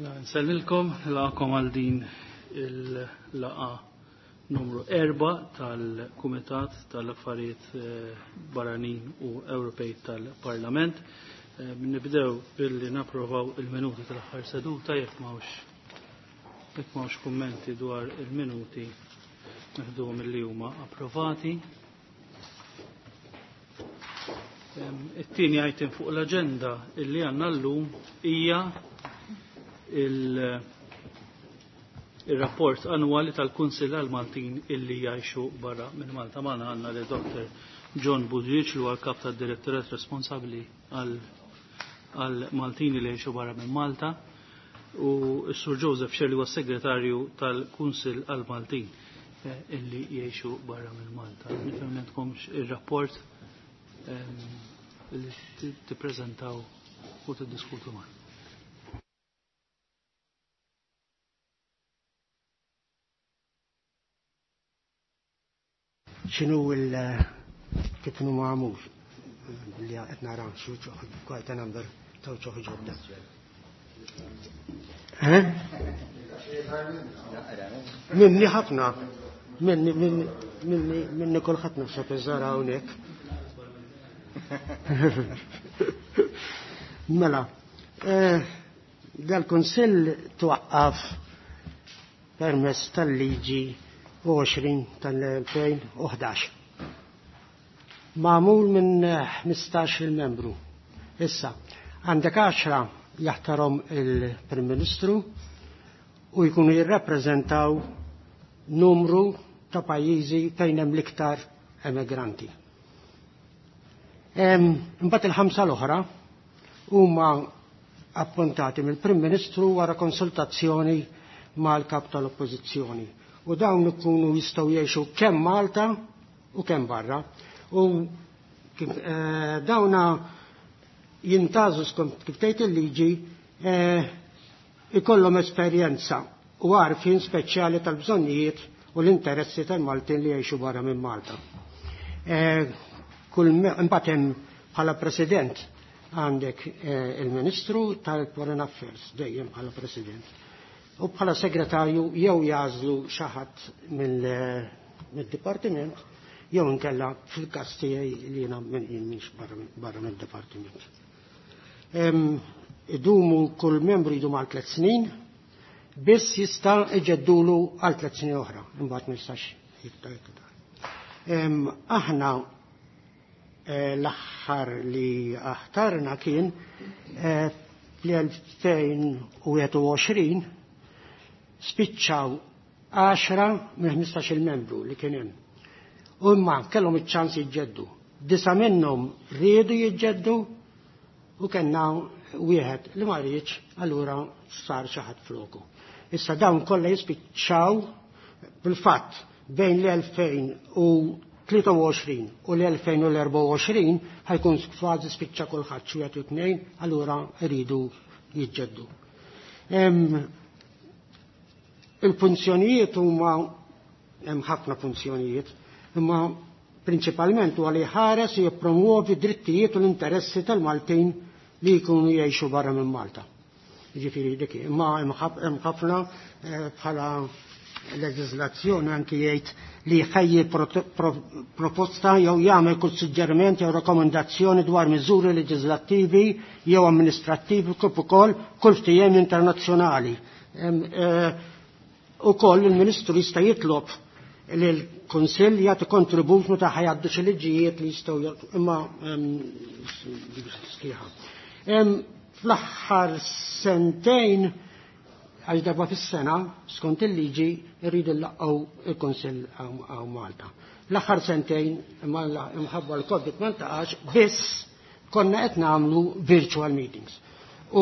Nsellilkom, laqakom għal din il-laqa numru 4 tal-Kumitat tal-Affarijiet Barranin u Ewropej tal-Parlament. Nibdew billi napprovaw il-minuti tal-aħħar seduta jekk m'hawnx kummenti dwar il-minuti neħduhom illi huma approvati. It-tieni item fuq l-aġenda illi għandna llum hija il-rapport annwali tal-Kunsill għal-Maltin illi jgħixu barra minn Malta. Magħna għandna li Dr. John Budriċ li huwa l-kap tad-direttorat responsabbli għal-Maltin li jgħixu barra minn Malta u s-Sur Joseph Sherley huwa segretarju tal-Kunsill għal-Maltin illi jgħixu barra minn Malta. Nifhem li għandkomx ir-rapport li tippreżentaw u tiddiskutu magħna. X'inhu il kif inhu magħmul li qed nara xi quite a number ta' ċoħ ġodda. Eh? Minni ħafna, minni, minni, minni, minni kulħadd naħseb iżara hawnhekk. Mela, dal-Kunsill twaqqaf permezz tal-liġi 20 tal-2011. Magħmul minn 15 il-membru. Issa, għandek 10 jaħtarhom il-Prim Ministru u jkunu jirrappreżentaw numru ta' pajjiżi fejn hemm l-iktar emigranti. Imbagħad il-5 l-oħra huma appuntati mill-Prim Ministru wara konsultazzjoni mal-kap tal-Oppożizzjoni. U dawn ikunu jistgħu jgħixu kemm Malta u kemm barra. U kif dawna jintażu skont kif tgħid il-liġi ikollhom esperjenza u għarfien speċjali tal-bżonnijiet u l-interessi tal-Maltin li jgħixu barra minn Malta. Imbagħad hemm bħala President għandek il-Ministru tal-Foreign Affairs dejjem bħala President. U bħala segretarju jew jażlu xi ħadd mid-dipartiment jew inkella fil-każ tiegħi li jiena m'iniex barra mid-dipartiment. Idumu kull membru jdum għal 3 snin, biss jista' iġeddulu għal 3 snin oħra, imbagħad ma jistax jiktar iktar. Aħna l-aħħar li aħtarna kien fl-2021 spiċċaw 10 minn 15-il membru li kien hemm. U imma kellhom iċ-ċans jiġġeddu. 9 minnhom riedu jiġġeddu u kellna wieħed li ma riedx, allura sar xi ħadd floku. Issa dawn kollha jispiċċaw bil-fatt bejn l-2023 u l-2024 ħajkun kważi spiċċa kulħadd xi wieħed u tnejn, allura rridu jiġġeddu. Il-funzjonijiet huma hemm ħafna funzjonijiet, imma prinċipalment huwa li jħares u jippromuovi drittijiet u l-interessi tal-Maltin li jkunu jgħixu barra minn Malta. Jiġifieri dik, imma hemm ħafna bħala leġiżlazzjoni anki jgħid li jħejji proposta jew jagħmel kull suġġeriment jew rakkomandazzjoni dwar miżuri leġiżlattivi jew amministrattivi kif ukoll kull ftehim internazzjonali. Ukoll il-Ministru jista' jitlob li l-Kunsill jagħti kontribut meta ħajgħaddu xi liġijiet li jistgħu jagħtu, imma sħiħa. Fl-aħħar sentejn għax darba fis-sena skont il-liġi rridu nlaqgħu il-Kunsill għaw Malta. L-aħħar sentejn imma imħabba l-Covid ma ntaqax, biss konna qed nagħmlu virtual meetings. U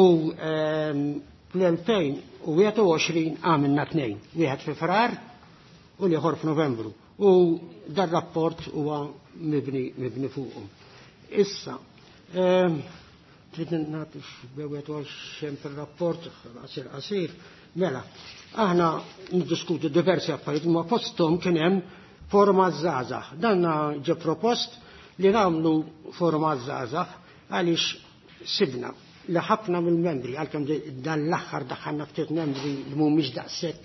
fl-2021 għamilna 2, wieħed fi Frar u l-ieħor f'Novembru. U dar rapport huwa mibni fuqhom. Issa, trid nagħti x'bewet għal xem fir-rapport qasir qasir, mela, aħna niddiskutu diversi affarijiet, ma fosthom kien hemm forma żgħażagħ. Dan ġie propost li nagħmlu forma żgħażagħ għaliex sibna li ħafna mill-membri, għalkemm dan l-aħħar daħħalna ftit membri li mhumiex daqshekk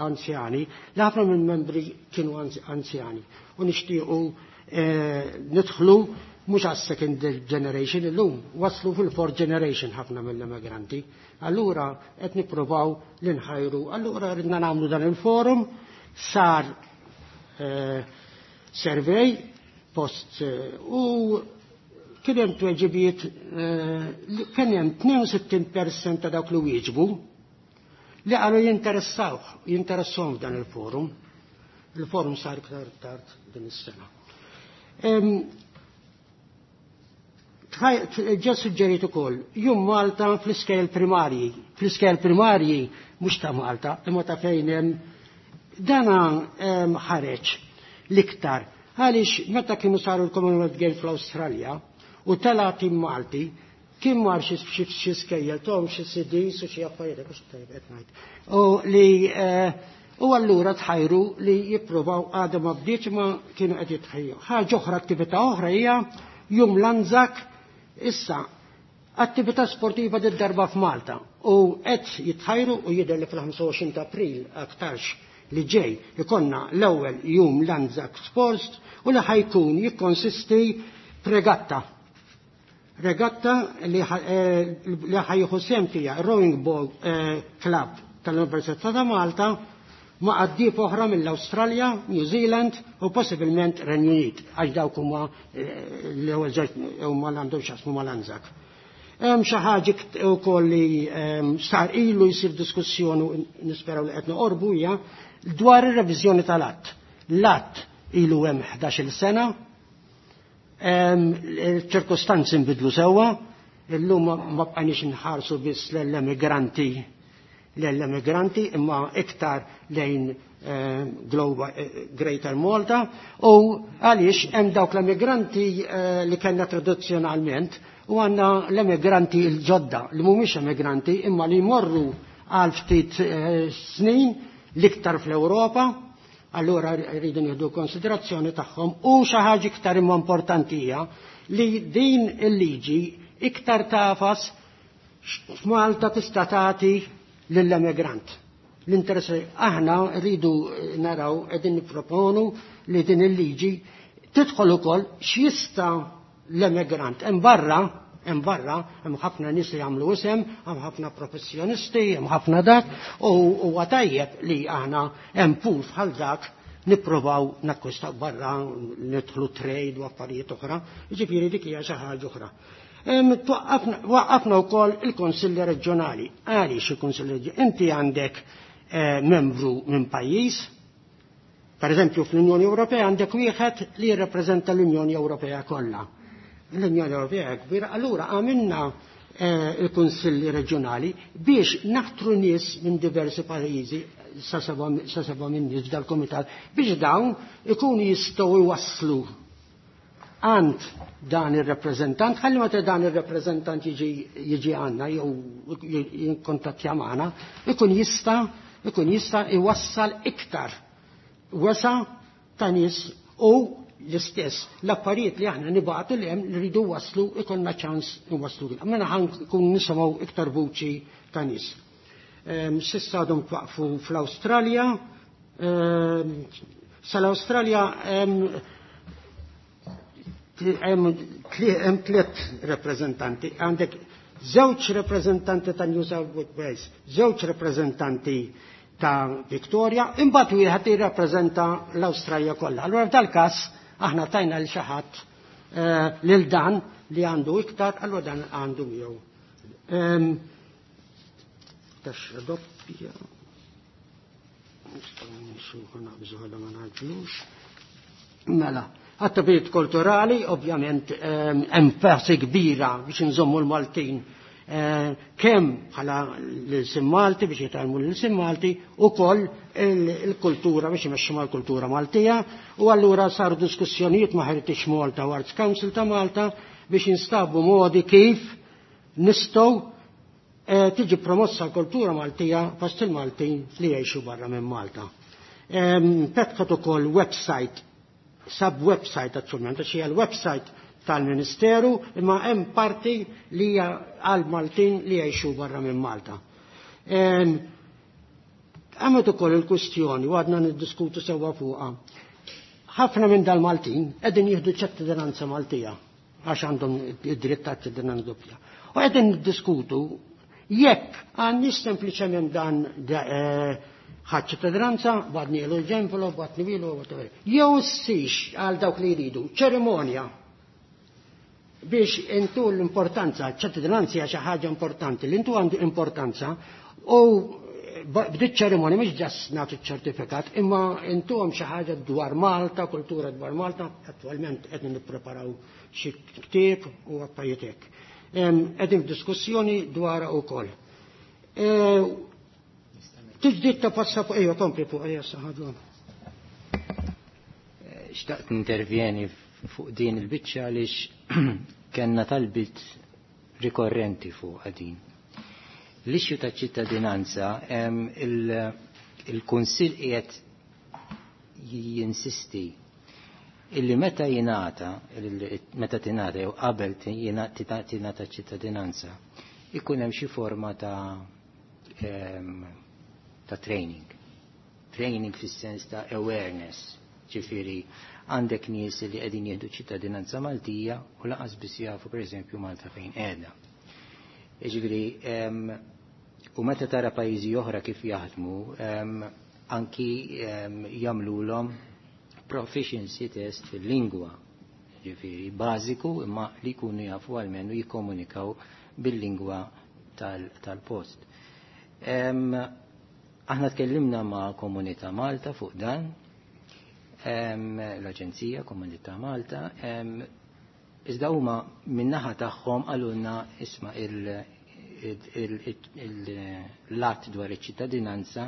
anzjani, li ħafna mill-membri kienu anzjani. U nixtiequ nidħlu mhux għas-second generation illum, waslu fil-fourth generation ħafna mill-immigranti. Allura qed nippruvaw li nħajru. Allura ridna nagħmlu dan il-forum, sar survey post u kien hemm tweġibiet, kien hemm 62% ta' dawk li wieġbu li qalu jinteressawhom f'dan il-forum. Il-forum sar iktar tard din is-sena. Ġa suġġerit ukoll jum Malta fl-iskejjel primarji, fl-iskejjel primarji mhux ta' Malta, imma ta' fejn hemm dana ħareġ l-iktar. Għaliex meta kienu saru l-Commonwealth Games fl-Awstralja u tela tim Malti, kien mar xi skejjel tom xi CDs u xi affarijiet, mhux tajjeb qed ngħid. U li u allura tħajru li jippruvaw, għadha ma bdietx ma kienu qed jitħejju. Ħaġa oħra, attività oħra hija jum l-Anzac, issa attività sportiva did darba f'Malta u qed jitħajru u jidher li fil-25 ta' April aktarx li ġej ikonna l-ewwel jum l-Anzac Sports u li ħajkun jikkonsisti f'regatta. Regatta li ħajjieħu sehem fiha Rowing Boat Club tal-Università ta' Malta ma' qaddif oħra mill-Awstralja, New Zealand u possibilment Renju Unit, għax dawk huma l-ewwel żewġ huma l għandhom x'jaqsmu mal-Anzac. Hemm xi ħaġa wkoll li sar ilu jsir diskussjoni u nisperaw li qed noqorbu hija dwar ir-reviżjoni tal-att. L-att ilu hemm 11-il sena, ċirkostanzi nbidlu sewwa, illum ma bqajniex nħarsu biss l-emigranti imma iktar lejn Global Greater Malta, u għaliex hemm dawk l-emigranti li kellna tradizzjonalment u għandna l-emigranti l-ġodda li mhumiex emigranti imma li jmorru għal ftit snin l-iktar fl-Ewropa, allura rridu nieħdu konsiderazzjoni tagħhom. U xi ħaġa iktar imma importanti hija li din il-liġi iktar tafas f'Malta tista' tagħti lill-emigrant. L-interess aħna rridu naraw, qegħdin nipproponu li din il-liġi tidħol ukoll x'jista' l-emigrant. Hemm barra, hemm barra, hemm ħafna nies li jagħmlu isem, hemm ħafna professjonisti, hemm ħafna dak, u huwa tajjeb li aħna hemm pool bħal dak nippruvaw nakkwistaw barra, nidħlu trade u affarijiet oħra, jiġifieri dik hija xi ħaġa oħra. Waqqafna wkoll il-Konsilli Reġjonali. Għaliex il-Konsilli Reġjonali? Inti għandek membru minn pajjiż, per eżempju fl-Unjoni Ewropea għandek wieħed li jirrappreżenta l-Unjoni Ewropea kollha. L-Unjoni Ewropea kbira, allura għamilna il-Kunsilli Reġjonali biex naħtru nies minn diversi pajjiżi, sa seba' minn nies f'dal-kumitat, biex dawn ikunu jistgħu jwasslu għand dan ir-rappreżentant, ħalli meta dan ir-rappreżentant jiġi għandna jew jinkontattja magħna, ikun jista' iwassal iktar wesa ta' nies u l-istess l-affarijiet li aħna nibgħatu li hemm li rridu waslu ikollna ċans nwasslu. Mela ħan kun nisimgħu iktar vuċi ta' nies. S'issa għadhom twaqfu fl-Awstralja, sal-Awstralja hemm tliet rappreżentanti, għandek żewġ rappreżentanti ta' New South Wales, żewġ rappreżentanti ta' Victoria, imbagħad wieħed jirrappreżenta l-Awstralja kollha. Allura f'dal-każ aħna tajna lil xi ħadd lil dan li għandu iktar, allura dan għandu miegħu. Taxxa doppja. Nistgħu nsuħu naqbżu ħalla ma naġlux. Mela, attivitajiet kulturali, ovvjament enfasi kbira biex nżommu l-Maltin kemm bħala l-ilsien Malti biex jitgħallmu l-ilsien Malti u koll il-kultura biex imexxu mal-kultura Maltija, u allura saru diskussjonijiet ma' Heritage Malta u Arts Council ta' Malta biex jinstabu modi kif nistgħu tiġi promossa l-kultura Maltija fost il-Maltin li jgħixu barra minn Malta. Fetħet ukoll website, sub-website attualment, għax hija l-website tal-Ministeru, imma hemm parti li hija għal Maltin li jgħixu barra minn Malta. Għamet ukoll il-kwistjoni u għadna niddiskutu sewwa fuqha. Ħafna minn dal-Maltin qegħdin jieħdu ċittadinanza Maltija għax għandhom id-dritt ta' ċittadinanza doppja. U qegħdin niddiskutu jekk għandniex sempliċement dan ħadd ċittadinanza, badni l-ġenvelo, badni wilu, whatever. Jew ssix għal dawk li jridu ċerimonja biex intu l-importanza, ċittadinanza hija xi ħaġa importanti, li intu għandu importanza u b'dik ċerimonja mhux ġas nagħtu ċertifikat, imma intuhom xi ħaġa dwar Malta, kultura dwar Malta, attwalment qed nippreparaw xi ktieb u affarijiet hekk. Qegħdin f'diskussjoni dwar ukoll. Tiġdid ta' passaport, ejja kompli fuq ejja saħadu. Xtaqt intervjeni fuq din il-biċċa għaliex kellna talbit rikorrenti fuq din. L-issue ta' ċittadinanza, il-Kunsill qiegħed jinsisti illi meta jingħata, meta tingħata jew qabel tingħata ċittadinanza, ikun hemm xi forma ta' training. Training fis-sens ta' awareness, ġifieri għandek nies li qegħdin jieħdu ċittadinanza Maltija u lanqas biss jafu pereżempju Malta fejn qiegħda. Ġifieri, u meta tara pajjiżi oħra kif jaħdmu, anki jagħmluhom proficiency test fil-lingwa, ġifieri bażiku imma li jkunu jafu għalmenu jikkomunikaw bil-lingwa tal-post. Aħna tkellimna ma' Komunità Malta fuq dan, l-Aġenzija Komunità Malta, iżda huma min-naħa tagħhom qalulna isma' l-att dwar iċ-ċittadinanza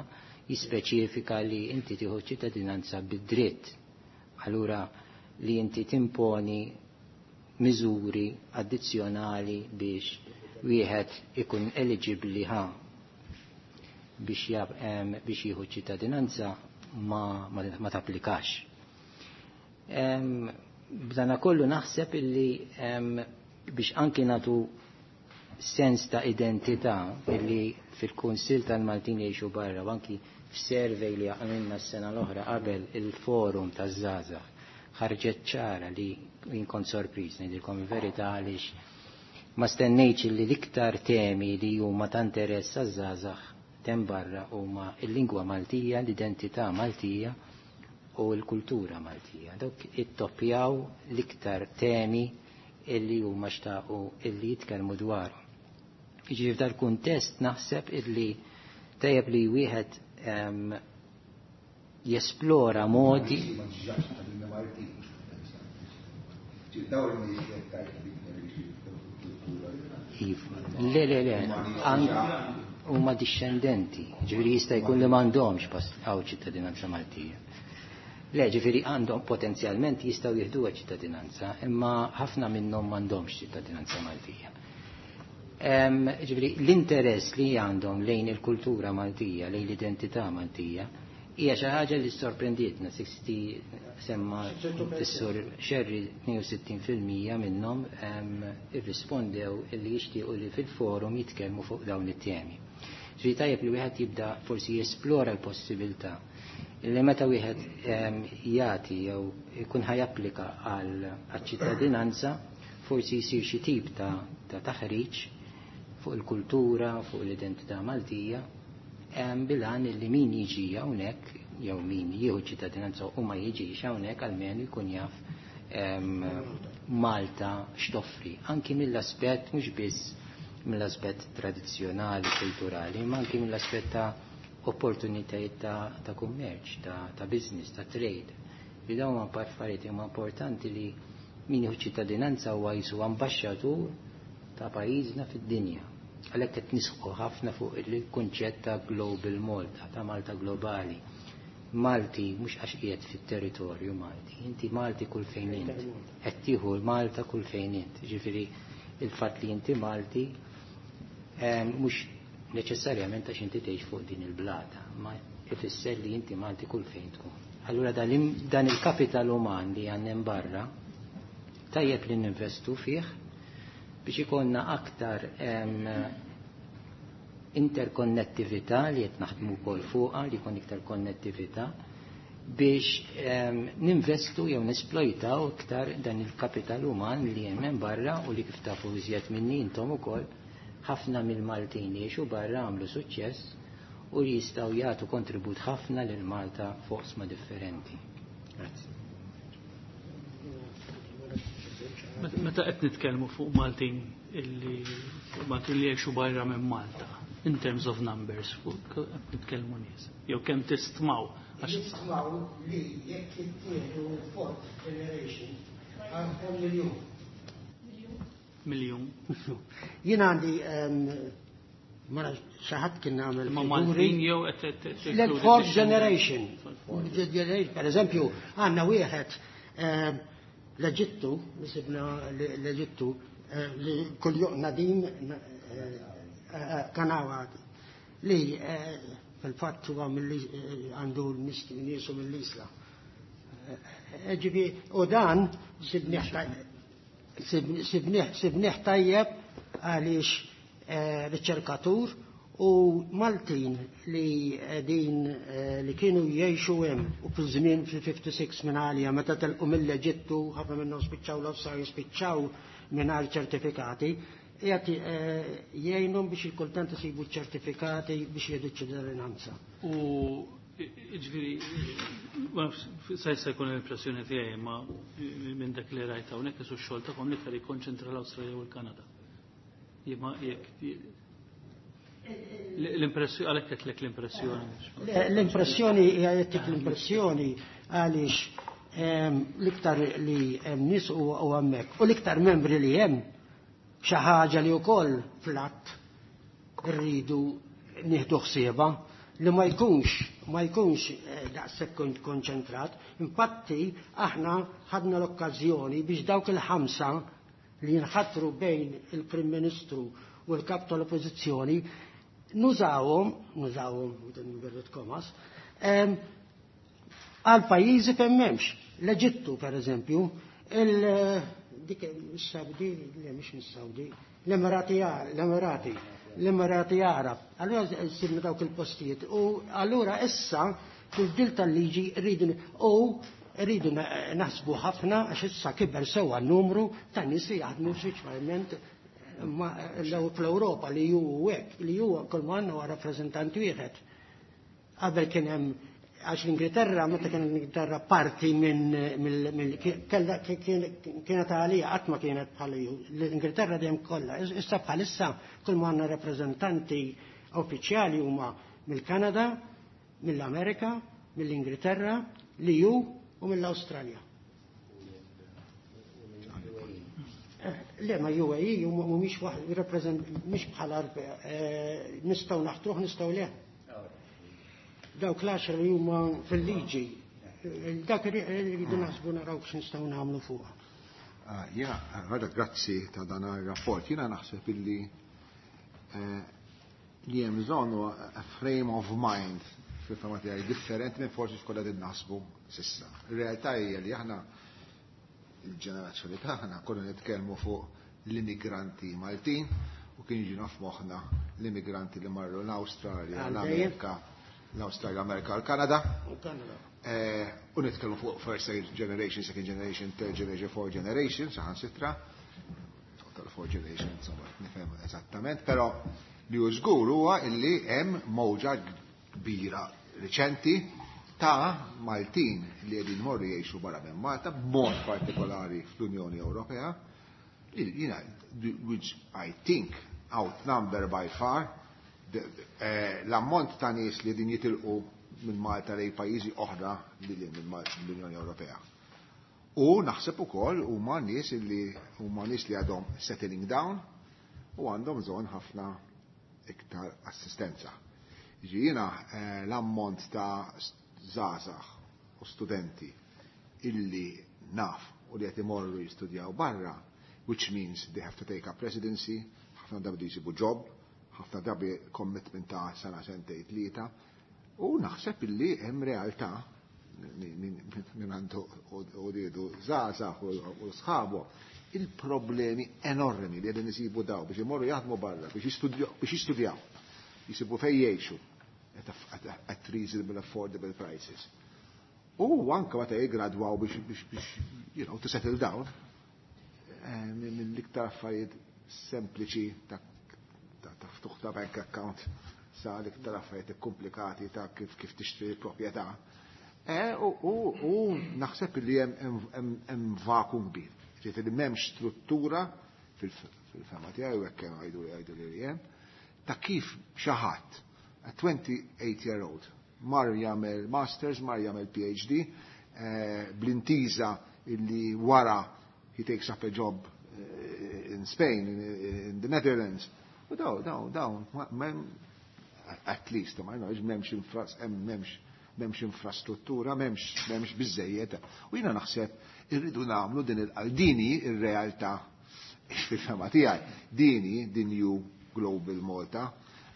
jispeċifika li inti tieħu ċittadinanza bid-dritt. Allura li inti timponi miżuri addizzjonali biex wieħed ikun eligibbli ħa biex jieħu ċittadinanza ma tapplikax. B'dana kollu naħseb illi biex anki natu sens ta' identità illi fil-Kunsill tal-Maltin jgħixu barra u anki f'survey li għamilna s-sena l-oħra qabel il-forum taż-żgħażagħ ħarġet ċara li jien kont sorpriż ngħidilkom il-verità għaliex ma stennejtx li l-iktar temi li huma ta' interess għaż-żgħażagħ tem barra huma l-lingwa Maltija, l-identità Maltija u l-kultura Maltija. Dawk ittoppjaw l-iktar temi illi huma xtaqu illi jitkellmu dwarhom. Jiġifieri f'dal kuntest naħseb illi tajjeb li wieħed jesplora modi. Le, le, le, huma discendenti, ġifieri jista' jkun li m'għandhomx għaw ċittadinanza Maltija. Le, ġifieri għandhom potenzjalment jistgħu jieħduha ċittadinanza, imma ħafna minnhom m'għandhomx ċittadinanza Maltija. Ġifieri l-interess li għandhom lejn il-kultura Maltija, lejn l-identità Maltija, hija xi ħaġa li sorprendietna, 60 semma s-sur Xerri 62% minnhom irrispondew li jixtiequ li fil-forum jitkellmu fuq dawn it-temi. Ġifieri tajjeb li wieħed jibda forsi jesplora l-possibilità li meta wieħed jagħti jew ikun ħajapplika għal ċittadinanza forsi jsir xi tip ta' taħriġ fuq il-kultura, fuq l-identità Maltija, bilan li min jiġi hawnhekk jew min jieħu ċittadinanza u ma jiġix hawnhekk almenu jkun jaf Malta x'toffri, anki mill-aspett mhux biss mill-aspett tradizzjonali, kulturali, ma anki mill-aspett ta' opportunitajiet ta' kummerċ, ta' business, ta' trade. Li dawn huma affarijiet huma importanti li min jieħu ċittadinanza huwa jisu ambaxxatur ta' pajjiżna fid-dinja. Għalhekk qed nisħu ħafna fuq il-kunċett ta' Global Malta, ta' Malta Globali. Malti mhux għax qiegħed fit-territorju Malti, inti Malti kull fejn int. Qed tieħu Malta kull fejn int. Ġifieri il-fatt li inti Malti mhux neċessarjament għax inti tgħix fuq din il-blata, ma ifisser li inti Malti kull fejn tkun. Allura dan il-kapital uman li għandna barra Tajjeb li ninvestu fih biex ikollna aktar interkonnettività li qed naħdmu wkoll fuqha, li jkun iktar konnettività biex ninvestu jew nesplojtaw iktar dan il-kapital uman li hemm hemm barra u li kif tafu iżjed minni intom ukoll, ħafna mill-Maltin li jgħixu barra għamlu suċċess u li jistgħu jagħtu kontribut ħafna lil Malta fuq oqsma differenti. Grazzi. Meta qed nitkellmu fuq Maltin illi fuq Maltin li jgħixu barra minn Malta, in terms of numbers, fuq qed nitkellmu nies, jew kemm tistmaw? Nistmaw li jekk jittieħdu l-fourth generation għandhom miljun. Miljun. Jien għandi, ma nafx, xi ħadd kien għamel Ma figuri. Maltin jew qed L-fourth generation. Generation. Per eżempju, għandna wieħed l-Eġittu, li sibna l-Eġittu, li kull Nadim Kanawa, li fil-fatt huwa għandu niesu mill-Isla. Ġifi, u dan sibnieh tajjeb għaliex riċerkatur u Maltin li din li kienu jgħixu hemm u fil-żmien fil-56 minn għalija meta telqu mill-Eġittu, ħafna minnhom spiċċaw l-Awstralja, spiċċaw mingħajr ċertifikati, qiegħed jgħinhom biex il-kultant isibu ċertifikati biex jieħdu ċittadinanza. U ġifieri, ma nafx, sa jista' jkun l-impressjoni tiegħi, ma minn dak li rajt hawnhekk isu x-xogħol tagħhom l-iktar jikkonċentra l-Awstralja u l-Kanada. Jimma jekk l-impressjoni, għalhekk qed l-impressjoni. L-impressjoni hija jagħtik l-impressjoni għaliex l-iktar li hemm nies u hemmhekk u l-iktar membri li hemm xi ħaġa li wkoll fl-att irridu nieħdu ħsiebha li ma jkunx daqshekk konċentrat. Infatti aħna ħadna l-okkażjoni biex dawk il-5 li jinħatru bejn il-Prim Ministru u l-Kap tal-Oppożizzjoni nużawhom, inverted commas, għal pajjiżi fejn m'hemmx. L-Eġittu, per eżempju, dik is-Saudi, le mhix mis-Saudi, l-Emirati, l-Emirati Arab. Allura sibna dawk il-postijiet u allura issa fil-dil tal-liġi rridu u rridu naħsbu ħafna għax issa kiber sewwa n-numru ta' nies li jaħdmu speċjalment fl-Ewropa li hu hekk, li huwa kull ma għandna huwa rappreżentant wieħed. Qabel kien hemm, għax l-Ingilterra, meta kien l-Ingilterra parti minn, mill, mill, kella, kienet għalija, qatt ma kienet bħal ju. L-Ingilterra dejjem kollha. Issa bħalissa kull ma għandna rappreżentanti uffiċjali huma mill-Kanada, mill-Amerika, mill-Ingilterra, l-EU u mill-Awstralja. Le, ma UAE mhumiex waħd rappreżent, mhix bħala nistgħu naħtruh, nistgħu le. Dawk l-10 li huma fil-liġi, dak irridu naħsbu naraw x'nistgħu nagħmlu fuqha. Jiena, għada grazzi ta' dan ir-rapport. Jiena naħseb illi li hemm bżonn huwa a frame of mind fil-fema tiegħi differenti minn forsi x'kollha qegħdin naħsbu s'issa. Ir-realtà hija li aħna il-ġenerazzjoni tagħna konna nitkellmu fuq l-immigranti Maltin u kien jiġi f'moħħna l-immigranti li marru l-Awstralja, Għal dejjem. l-Amerika, l-Awstralja, l-Amerika, l-Kanada. U Kanada. U nitkellmu fuq first generation, second generation, third generation, fourth generation, saħansitra. Tal-fourth generation, insomma, nifhem eżattament, però li hu żgur huwa illi hemm mowġa kbira riċenti ta' Maltin li qegħdin morru jgħixu barra minn Malta, b'mod partikolari fl-Unjoni Ewropea, li jiena, which I think outnumber by far l-ammont ta' nies li qegħdin jitilqu minn Malta lejn pajjiżi oħra li lil minn l-Unjoni Ewropea. U naħseb ukoll huma nies li huma nies li għadhom settling down u għandhom bżonn ħafna iktar assistenza. Jiġi jiena l-ammont ta' żgħażagħ u studenti illi naf u li qed imorru jistudjaw barra, which means they have to take up residency, ħafna drabi jsibu job, ħafna drabi commitment ta' sena sentejn tlieta, u naħseb illi hemm realtà minn għandu u żgħażagħ u sħabu, il-problemi enormi li qegħdin isibu daw biex imorru jaħdmu barra, biex jistudjaw, jisibu fejn jgħixu at reasonable affordable prices. U anke meta jiggradwaw biex to settle down, mill-iktar affarijiet sempliċi ta' ftuħ ta' bank account sa l-iktar affarijiet komplikati ta' kif tixtri proprjetà. U naħseb li hemm vacuum kbir. Ġifieri m'hemmx struttura fil-fema tiegħi u hekk għajdu li għajdu li hemm ta' kif xi ħadd a 28 year old mar jagħmel masters, mar jagħmel PhD, bl-intiża illi wara he takes up a job in Spain, in the Netherlands. U daw, at least, ma knowledge, m'hemmx infrastruttura, m'hemmx biżejjed. U jiena naħseb irridu nagħmlu din il-dini ir-realtà fil-fema tiegħi. Dini, the new Global Malta,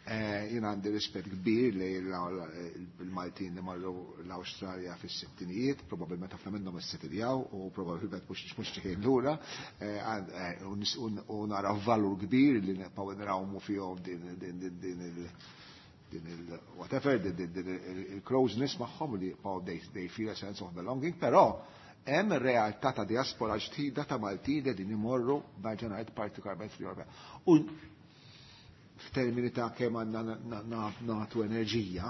jiena għandi rispett kbir li il-Maltin li marru l-Awstralja fis-sittinijiet, probabbilment ħafna minnhom issettiljaw u probabbilment mhux ċekejn lura, u nara valur kbir li nibqgħu nrawmu fihom din il whatever, din il-closeness magħhom li jibqgħu they feel a sense of belonging, però hemm realtà ta' diaspora ġdida ta' Maltin li din imorru ngħid partikolarment fl-Ewropea. U f'termini ta' kemm għandna nagħtu enerġija,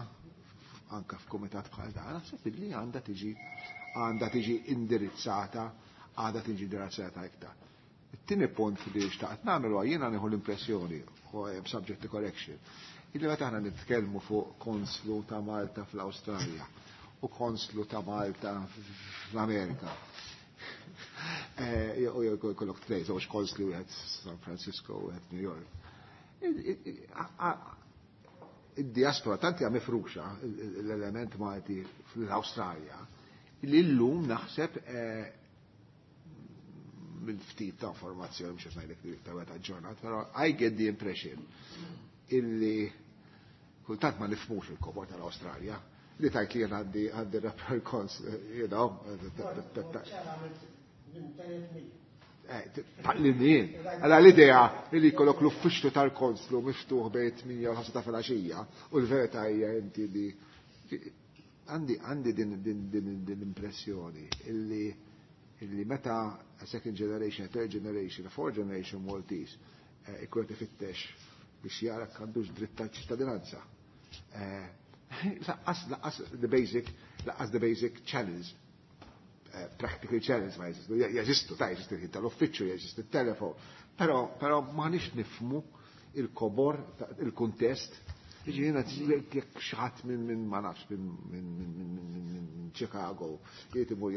anka f'kumitat bħal dan, naħseb li għandha tiġi indirizzata, għandha tiġi indirizzata iktar. It-tieni punt li xtaqt nagħmel huwa jiena nieħu l-impressjoni, u hemm subject to correction, illi meta aħna nitkellmu fuq konslu ta' Malta fl-Awstralja u konslu ta' Malta fl-Amerika. U jkollok tnej, żewġ konsli wieħed San Francisco u wieħed New York. Id-diaspora tant hija mifruxa l-element Malti fl-Awstralja li llum naħseb mill-ftit ta' informazzjoni mhux qed ngħidlek li iktar meta ġurnat, però I get the impression illi kultant ma nifhmux il-kobor tal-Awstralja li tajt li jien għandi rapport kons, you know, tal-linjien. Għala l-idea li jkollok l-uffiċċju tal-konslu miftuħ bejn 8 u 5 ta' filgħaxija u l-verità hija inti li għandi din l-impressjoni illi meta a second generation, a third generation, a fourth generation Maltese ikun qed ifittex biex jara għandux dritt tal-ċittadinanza. Laqqas the basic, laqqas the basic channels, practical channels ma jeżistu, jeżistu, ta' jeżistu il-ħin tal-uffiċċju, jeżistu il-telefon, però ma nix nifmu il-kobor, il-kuntest. Jiġifieri jiena jekk xi ħadd minn ma nafx minn Chicago jrid imur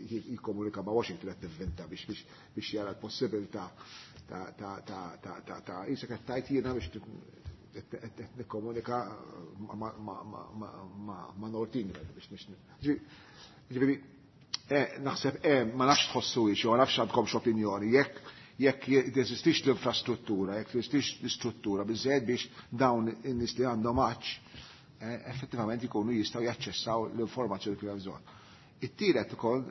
jikkomunika ma' Washington qed nivvinta biex jara l-possibilità ta' jisek qed tajt jiena biex qed nikkomunika ma' North England biex Ġifieri naħseb ma nafx tħossu ma nafx għandkomx opinjoni, jekk jeżistix l-infrastruttura, jekk jeżistix l-istruttura biżżejjed biex dawn in-nies li għandhom għatx effettivament jkunu jistgħu jaċċessaw l-informazzjoni li hemm bżonn. It-tielet ukoll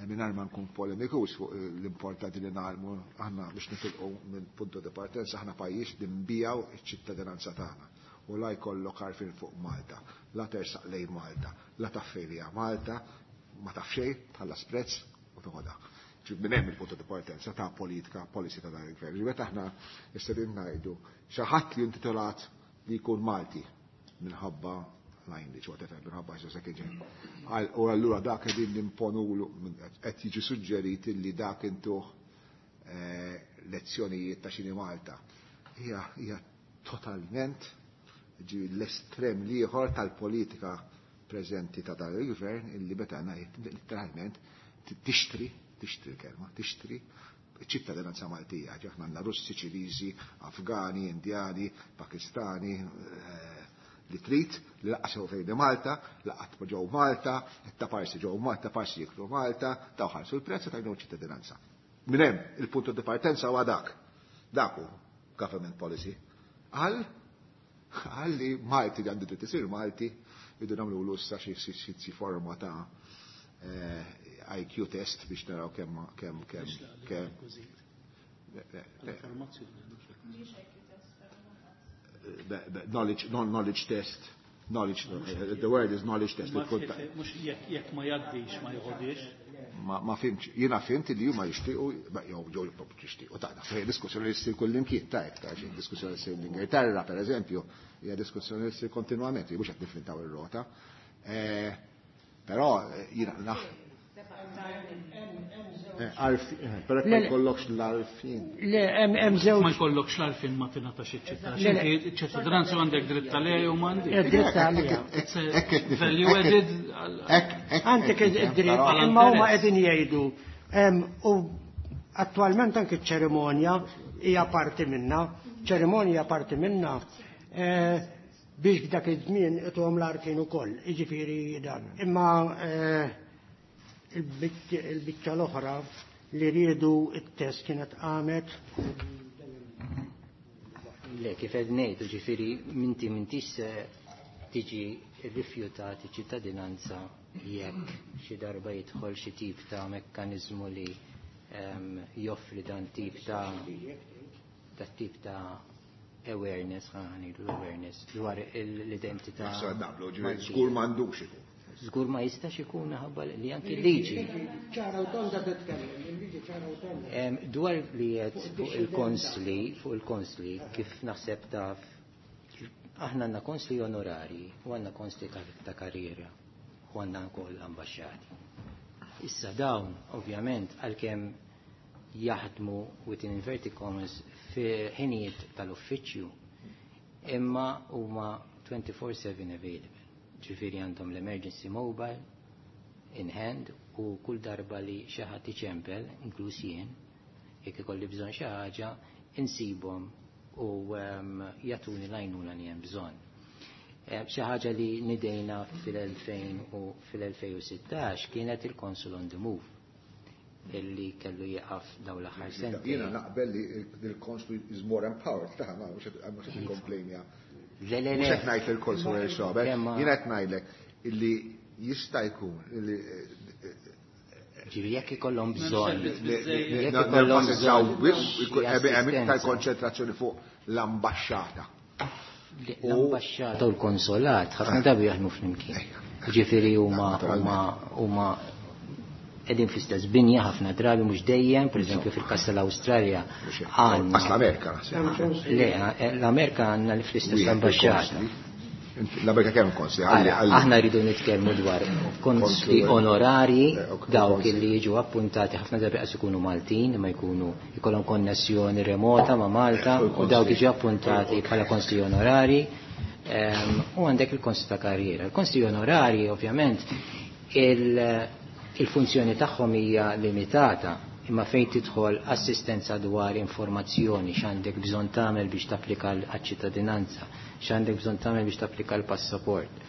mingħajr ma nkun polemikus fuq l-importanti li nagħmlu aħna biex nitilqu minn punto di partenza aħna pajjiż li nbijaw iċ-ċittadinanza tagħna. U la jkollok għarfien fuq Malta, la tersaq lejn Malta, la tafferija Malta, ma taf xejn, tħallas prezz u toħodha. Minn hemm il-punto di partenza ta' politika, policy ta' dan il-gvern. Ġifieri meta aħna nistgħu ngħidu xi ħadd li intitolat li jkun Malti minħabba language, whatever, minħabba xi second gen. U allura dak qegħdin nimponulu qed jiġi suġġerit li dak intuh lezzjonijiet ta' xini Malta. Hija totalment ġi l-estrem l-ieħor tal-politika preżenti ta' dan il-gvern illi meta ngħid literalment tixtri l-kelma, tixtri ċittadinanza Maltija. Aħna għandna Russi, Ċiniżi, Afgani, Indjani, Pakistani, li trid, li laqqas fejn Malta, laqat ġew Malta, ta' parsi ġew Malta, parsi jiklu Malta, taw ħarsu l-prezz tajnu ċittadinanza. Minn hemm il-punto di partenza huwa dak. Dak hu government policy. Għal li Malti li għandu dritt isir Malti, Irridu nagħmlu issa xi forma ta' IQ test biex naraw kemm kemm kemm kemm. Knowledge, knowledge test. Knowledge, the word is knowledge test. Mhux jekk ma jgħaddix ma jħodix. Ma fhimtx, jiena fhimt li huma jixtiequ, jew jew jixtiequ ta' fejn diskussjoni li ssir kullimkien ta' ta' xi diskussjoni li ssir l-Ingilterra pereżempju, hija diskussjoni li ssir kontinwament, mhux qed niffintaw ir-rota. Però jiena naħ Però ma jkollokx l-għarfien. Le, hemm żewġ. Ma jkollokx l-għarfien ma tingħatax iċ-ċittadinanza. Iċ-ċittadinanza għandek dritt għaliha jew m'għandek. Dritt għaliha. Value added. Għandek id-dritt, imma huma qegħdin jgħidu. U attwalment anke ċ-ċerimonja hija parti minna, ċerimonja hija parti minna biex f'dak iż-żmien ituhom l-għarfien ukoll, jiġifieri dan. Imma il-biċċa l-oħra li riedu it-test kienet qamet. Le, kif qed ngħid, ġifieri minti m'intix se tiġi rrifjutat iċ-ċittadinanza jekk xi darba jidħol xi tip ta' mekkaniżmu li joffri dan tip ta' dat tip ta' awareness, ħa ngħidu awareness dwar l-identità. Naqblu, ġifieri żgur m'għandux ikun. Żgur ma jistax ikun ħabba li anki liġi. Ċara u tonda titkellem, il-liġi ċara u tonda. Dwar li qed fuq il-konsli, kif naħseb taf, aħna għandna konsli onorari u għandna konsli ta' karriera u għandna wkoll ambaxxati. Issa dawn, ovvjament, għalkemm jaħdmu within inverted commas fi ħinijiet tal-uffiċċju, imma huma 24/7 available. Ġifieri għandhom l-emergency mobile in hand u kull darba li xi ħadd iċempel, inkluż jien, jekk ikolli bżonn xi ħaġa, insibhom u jagħtuni l-għajnuna li hemm bżonn. Xi ħaġa li nidejna fil-2000 u fil-2016 kienet il-Consul on the Move illi kellu jieqaf daw l-aħħar sentejn. Jiena naqbel li il-Consul is more empowered, ta' ma mhux qed nikkomplejnja. Le, le, le. Mhux qed ngħid il-Consul xogħol, jiena qed ngħidlek illi jista' jkun illi Ġifieri jekk ikollhom bżonn. Jekk ikollhom bżonn. Hemm iktar konċentrazzjoni fuq l-ambaxxata. L-ambaxxata u l-konsolat ħafna drabi jaħdmu flimkien. Ġifieri huma huma qegħdin fl-istess binja ħafna drabi mhux dejjem, pereżempju fil-każ tal-Awstralja għandna. L-Amerika. Le, l-Amerika għandna fl-istess ambaxxata. L-Amerika kemm konsli? Aħna rridu nitkellmu dwar konsli onorari, dawk li jiġu appuntati ħafna drabi qas ikunu Maltin, ma jkunu jkollhom konnessjoni remota ma' Malta u dawk jiġu appuntati bħala konsli onorari. U għandek il-konsli ta' karriera. Il-konsli onorari ovvjament il-funzjoni tagħhom hija limitata, imma fejn tidħol assistenza dwar informazzjoni x'għandek bżonn tagħmel biex tapplika għaċ-ċittadinanza, x'għandek bżonn tagħmel biex tapplika l-passaport,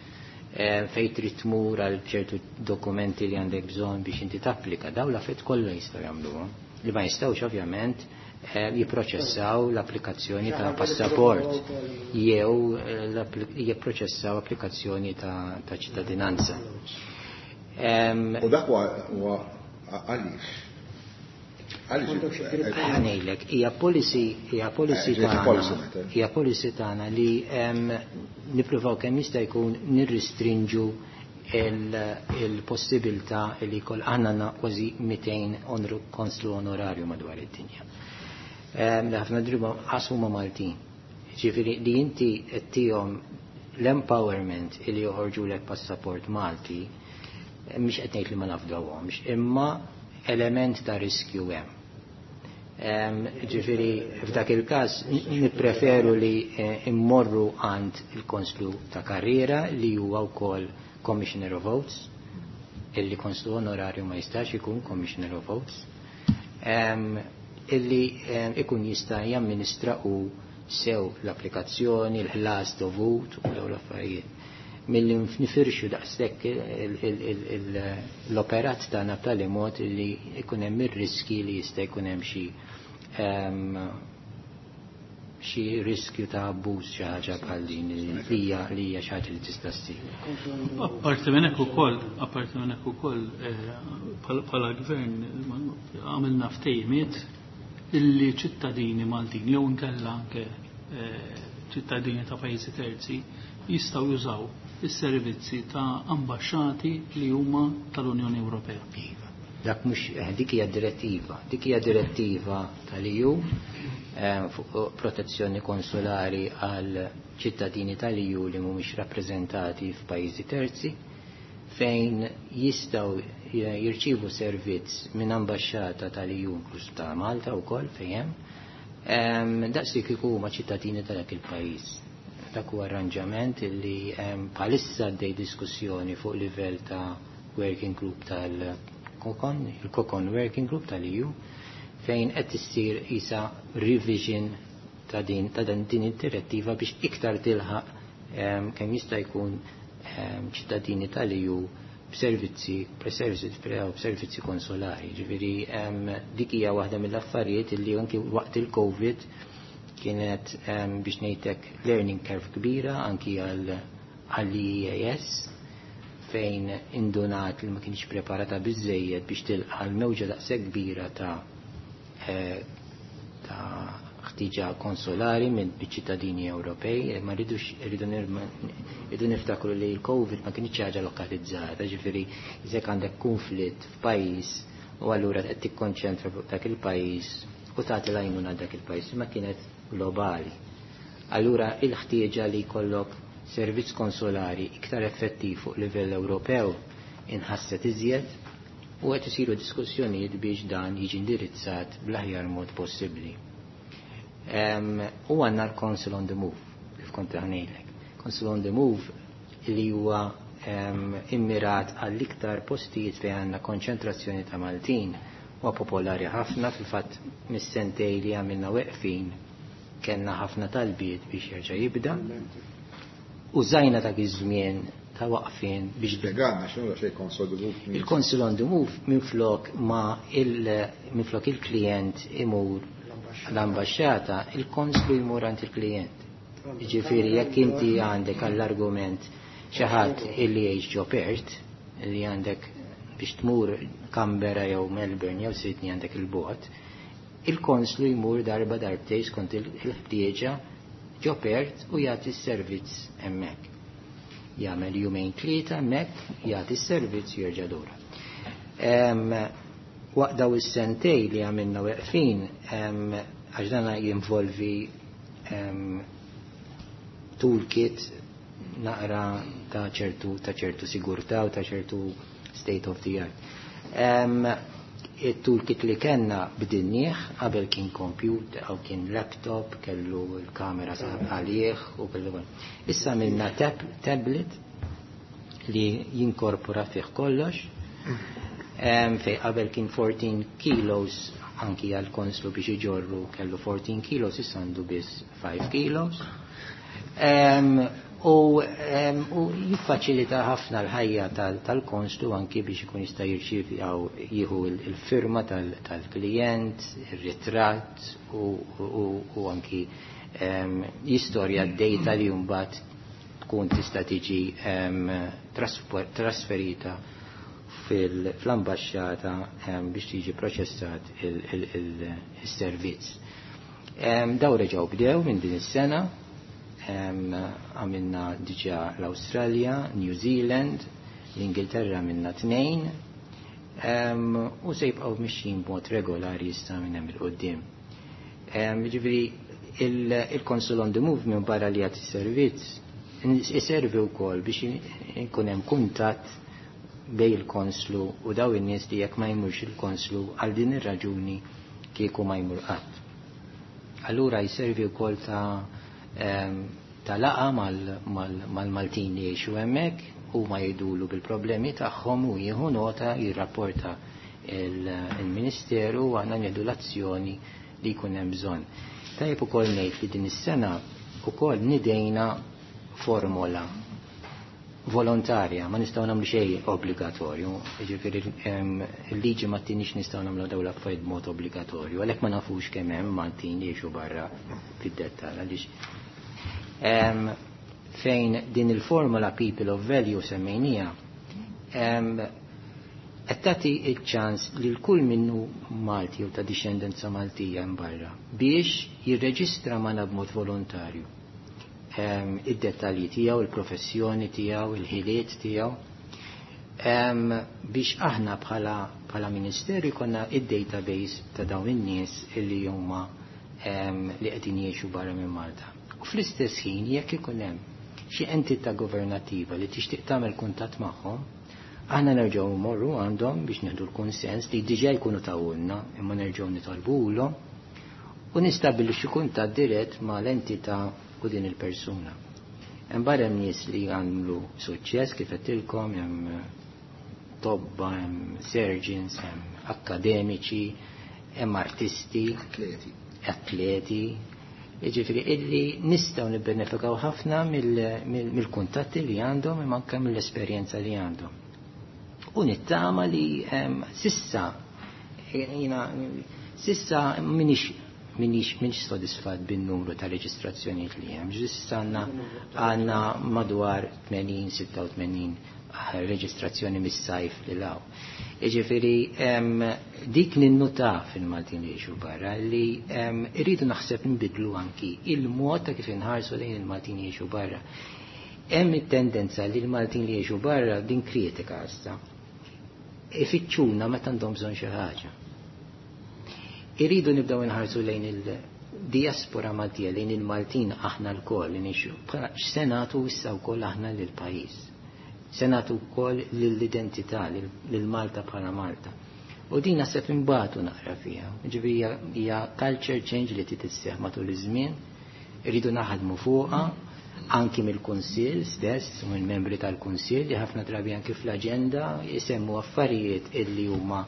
fejn trid tmur għal ċertu dokumenti li għandek bżonn biex inti tapplika, dawn l-affarijiet kollha jistgħu jagħmluhom. Li ma jistgħux ovvjament jipproċessaw l-applikazzjoni ta' passaport jew jipproċessaw applikazzjoni ta' ċittadinanza. U dak huwa għaliex? Ngħidlek, hija policy, hija policy tagħna, hija policy tagħna li nippruvaw kemm jista' jkun nirristrinġu il-possibilità li jkoll aħna għandna kważi 200 konslu onorarju madwar id-dinja. Li ħafna drabi qas huma Maltin. Ġifieri li inti qed tihom l-empowerment li joħorġulek passaport Malti, mhix qed ngħid li ma nafdawhomx, imma element ta' riskju hemm. Ġifieri f'dak il-każ nippreferu li immorru għand il-konslu ta' karriera li huwa wkoll Commissioner of Oaths, illi konslu onorarju ma jistax ikun Commissioner of Oaths, illi ikun jista' jamministra u sew l-applikazzjoni, l-ħlas dovut u dawn l-affarijiet. Milli nifirxu daqshekk l-operat tagħna b'tali mod li jkun hemm ir-riski li jista' jkun hemm xi xi riskju ta' abbuż, xi ħaġa bħal din li hija xi ħaġa li tista' ssir. Apparti minn hekk ukoll, bħala gvern għamilna ftehimiet illi ċittadini Maltin jew inkella anke ċittadini ta' pajjiżi terzi jistgħu jużaw is-servizzi ta' ambaxxati li huma tal-Unjoni Ewropea. Iva. Dak mhux dik hija direttiva, dik hija direttiva tal-EU fuq protezzjoni konsolari għal ċittadini tal-EU li mhumiex rappreżentati f'pajjiżi terzi, fejn jistgħu jirċievu servizz minn ambaxxata tal-EU, inkluż ta' Malta wkoll fejn hemm, daqs li kieku huma ċittadini ta' dak il-pajjiż. Dak huwa arranġament li bħalissa għaddej diskussjoni fuq livell ta' working group tal-COCON, il-COCON Working Group tal-EU, fejn qed issir isa revision ta' din id-direttiva biex iktar tilħaq kemm jista' jkun ċittadini tal-EU b'servizzi, b'servizzi b'servizzi konsolari. Ġifieri dik hija waħda mill-affarijiet li anki waqt il-Covid kienet biex ngħidlek learning curve kbira anki għall-EAS, fejn indunat li ma kienx preparata biżejjed biex tilqa' l-mewġa daqshekk kbira ta' ħtiġa konsolari minn ċittadini Ewropej. Ma rridux rridu niftakru li l-Covid ma kienx ħaġa lokalizzata, ġifieri jekk għandek konflitt f'pajjiż u allura qed tikkonċentra fuq dak il-pajjiż u tagħti l-għajnuna dak il-pajjiż, ma kienet globali. Allura il-ħtieġa li jkollok servizz konsolari iktar effettiv fuq livell Ewropew inħasset iżjed u qed isiru diskussjonijiet biex dan jiġi indirizzat bl-aħjar mod possibbli. U għandna l-Consul on the Move, kif kont ngħidlek. Consul on the Move li huwa immirat għall-iktar postijiet fejn għandna konċentrazzjoni ta' Maltin, huwa popolari ħafna. Fil-fatt, mis-sentej li għamilna weqfin kellna ħafna talbiet biex jerġa' jibda. Użajna dak iż-żmien ta' waqfien biex Spjegana x'inhu xejn Consul on the Move. Il-Consul on the Move, minflok il-klient imur l-ambasċata, il-konslu jmur għand il-klient. Ġifieri jekk inti għandek għall-argument xi ħadd illi jgħix ġo Perth, li għandek biex tmur Canberra jew Melbourne jew Sydney għandek il-bogħod, il-konslu jmur darba darbtej skont il-ħtieġa ġo Perth u jagħti s-servizz hemmhekk. Jagħmel jumejn tlieta hemmhekk, jagħti s-servizz, jerġa' lura. Waqt daw is-sentej li għamilna weqfin, għax dana jinvolvi toolkit naqra ta' ċertu sigurtà u ta' ċertu state of the art. Il-toolkit li kellna bdilnieh. Qabel kien computer jew kien laptop, kellu l-kamera għalih u kellu. Issa għamilna tablet li jinkorpora fih kollox. Fej qabel kien 14 kilos anki għal konslu biex iġorru, kellu 14 kilos, issa għandu biss 5 kilos. U jiffaċilita ħafna l-ħajja tal-konslu anki biex ikun jista' jirċievi jew jieħu il-firma tal-klient, ir-ritratt u anki jistorja d-data li mbagħad tkun tista' tiġi trasferita fl-ambasċata biex tiġi proċessat il-servizz. Daw reġgħu bdew minn din is-sena, għamilna diġà l-Awstralja, New Zealand, l-Ingilterra għamilna tnejn, u se jibqgħu mixjin b'mod regolari issa minn hemm il-quddiem. Ġifieri il-Consul on the Move, minn barra li jagħti servizz, iservi wkoll biex ikun hemm kuntatt bej il-konslu u daw in-nies li jekk ma jmurx il-konslu għal din ir-raġuni kieku ma jmur qatt. Allura jservi wkoll ta' laqgħa mal-Maltin li jgħixu hemmhekk u ma jgħidulu bil-problemi tagħhom u jieħu nota, jirrapporta il-Ministeru u aħna nieħdu l-azzjoni li jkun hemm bżonn. Tajjeb ukoll ngħid li din is-sena ukoll nidejna formola. Volontarja, ma nistgħu nagħmlu xejn obbligatorju, jiġifieri il-liġi ma tinix nistgħu nagħmlu dawn l-affarijiet b'mod obbligatorju, għalhekk ma nafux kemm hemm Maltin li jgħixu barra fid-dettall għaliex fejn din il-formula People of Value semmejnija qed tagħti ċ-ċans lil kull minnu Malti jew ta' dixxendenza Maltija hemm barra biex jirreġistra magħna b'mod volontarju id-dettalji tiegħu, il-professjoni tiegħu, il-ħiliet tiegħu biex aħna bħala bħala ministeru jkollna id-database ta' dawn in-nies illi huma li qegħdin jgħixu barra minn Malta. U fl-istess ħin jekk ikun hemm xi entità governattiva li tixtieq tagħmel kuntatt magħhom, aħna nerġgħu mmorru għandhom biex nieħdu l-kunsens li diġà jkunu tawulna imma nerġgħu nitolbulhom u nistabbilixxu kuntatt dirett mal-entità u din il-persuna. Hemm barra hemm nies li għamlu suċċess kif qedtilkom, hemm tobba, hemm surgeons, hemm akademiċi, hemm artisti, Atleti. Atleti, jiġifieri illi nistgħu nibbenefikaw ħafna mill-kuntatti li għandhom imma anke mill-esperjenza li għandhom. U nittama li sissa jiena sissa minix sodisfat bin-numru ta' reġistrazzjonijiet li hemm. Sissa għandna madwar 80-86 reġistrazzjoni mis-sajf li law. Jiġifieri dik ninnuta fil-Maltin li jgħixu barra li irridu naħseb nbidlu anki il-mod ta' kif inħarsu lejn il-Maltin li jgħixu barra. Hemm it-tendenza li l-Maltin li jgħixu barra din kritika issa. Ifittxuna meta għandhom bżonn xi ħaġa. Irridu nibdew inħarsu lejn il-diaspora Maltija, lejn il-Maltin aħna lkoll li ngħixu. Bħala x'se nagħtu issa wkoll aħna lill-pajjiż. Se nagħtu wkoll lill-identità, lil Malta bħala Malta. U din naħseb imbagħtu naqra fiha. Ġifieri hija culture change li trid isseħħ matul iż-żmien, irridu naħdmu fuqha anki mill-Kunsill stess u mill-membri tal-Kunsill li ħafna drabi anki fl-aġenda jisemmu affarijiet illi huma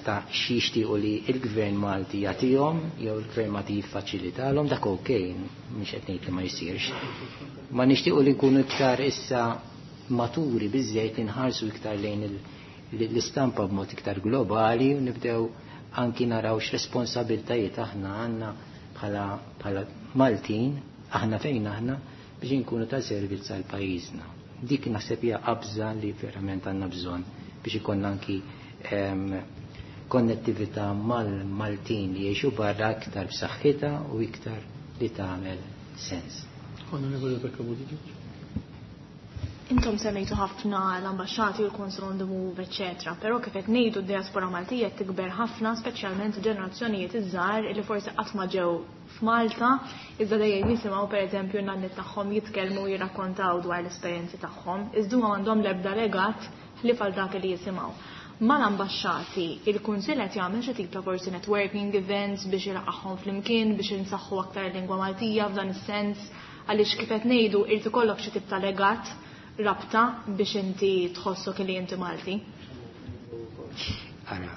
ta' xi jixtiequ li l-Gvern Malti jagħtihom jew il-Gvern Malti jiffaċilitalhom, dak okej, mhux qed ngħid li ma jsirx. Ma nixtiequ li nkunu iktar issa maturi biżejjed li nħarsu iktar lejn l-istampa b'mod iktar globali u nibdew anki naraw x'responsabiltajiet aħna għandna bħala Maltin, aħna fejn aħna, biex inkunu ta' servizz għal pajjiżna. Dik naħseb hija qabża li verament għandna bżonn biex ikollna anki konnettività mal-Maltin li jgħixu barra iktar b'saħħitha u iktar li tagħmel sens. Onorevole Rebecca Buttigieg. Intom semmejtu ħafna l-ambasċati u l-Consul on the Move, eccetera, però kif qed ngħidu d-diaspora Maltija qed tikber ħafna, speċjalment ġenerazzjonijiet iż-żgħar li forsi qatt ma ġew f'Malta, iżda dejjem jisimgħu pereżempju n-nanniet tagħhom jitkellmu u jirrakkontaw dwar l-esperjenzi tagħhom, iżda huma m'għandhom l-ebda legat ħlief għal dak li jisimgħu. Mal-ambasċati, il-Kunsill qed jagħmel xi tip ta' forsi networking events biex ilaqgħhom flimkien biex insaħħu aktar lingwa Maltija f'dan is-sens, għaliex kif qed ngħidu irid ikollok xi tip ta' legat rabta biex inti tħossok li inti Malti. Ara,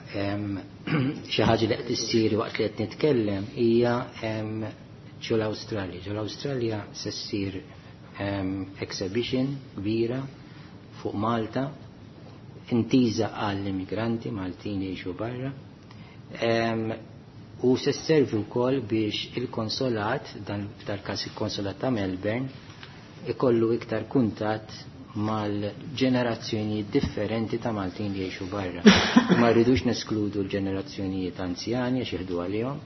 xi ħaġa li qed issir waqt li qed nitkellem hija ġol Awstralja. Ġol Awstralja se ssir exhibition kbira fuq Malta, intiża għall-immigranti Maltin li jgħixu barra. U se sservi wkoll biex il-konsolat, dan f'dal-każ il-konsolat ta' Melbourne, ikollu iktar kuntatt mal-ġenerazzjonijiet differenti ta' Maltin li jgħixu barra. Ma rridux neskludu l-ġenerazzjonijiet anzjani għax jieħdu għalihom,